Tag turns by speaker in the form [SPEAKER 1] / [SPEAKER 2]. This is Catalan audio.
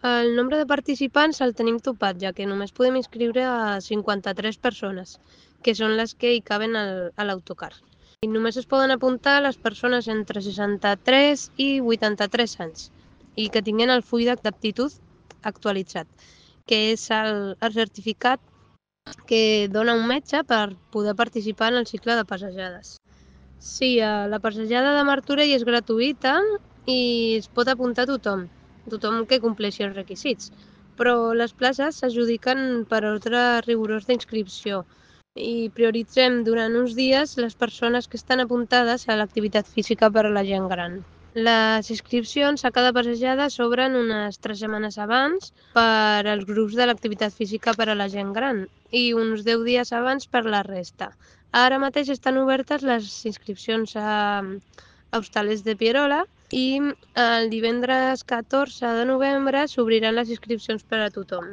[SPEAKER 1] El nombre de participants el tenim topat, ja que només podem inscriure a 53 persones, que són les que hi caben a l'autocar. I només es poden apuntar les persones entre 63 i 83 anys i que tinguin el full d'aptitud actualitzat, que és el certificat que dona un metge per poder participar en el cicle de passejades. Sí, la passejada de Martorell és gratuïta i es pot apuntar tothom que compleixi els requisits, però les places s'adjudiquen per ordre rigorós d'inscripció i prioritzem durant uns dies les persones que estan apuntades a l'activitat física per a la gent gran. Les inscripcions a cada passejada s'obren unes 3 setmanes abans per als grups de l'activitat física per a la gent gran i uns 10 dies abans per la resta. Ara mateix estan obertes les inscripcions a Hostalets de Pierola i el divendres 14 de novembre s'obriran les inscripcions per a tothom.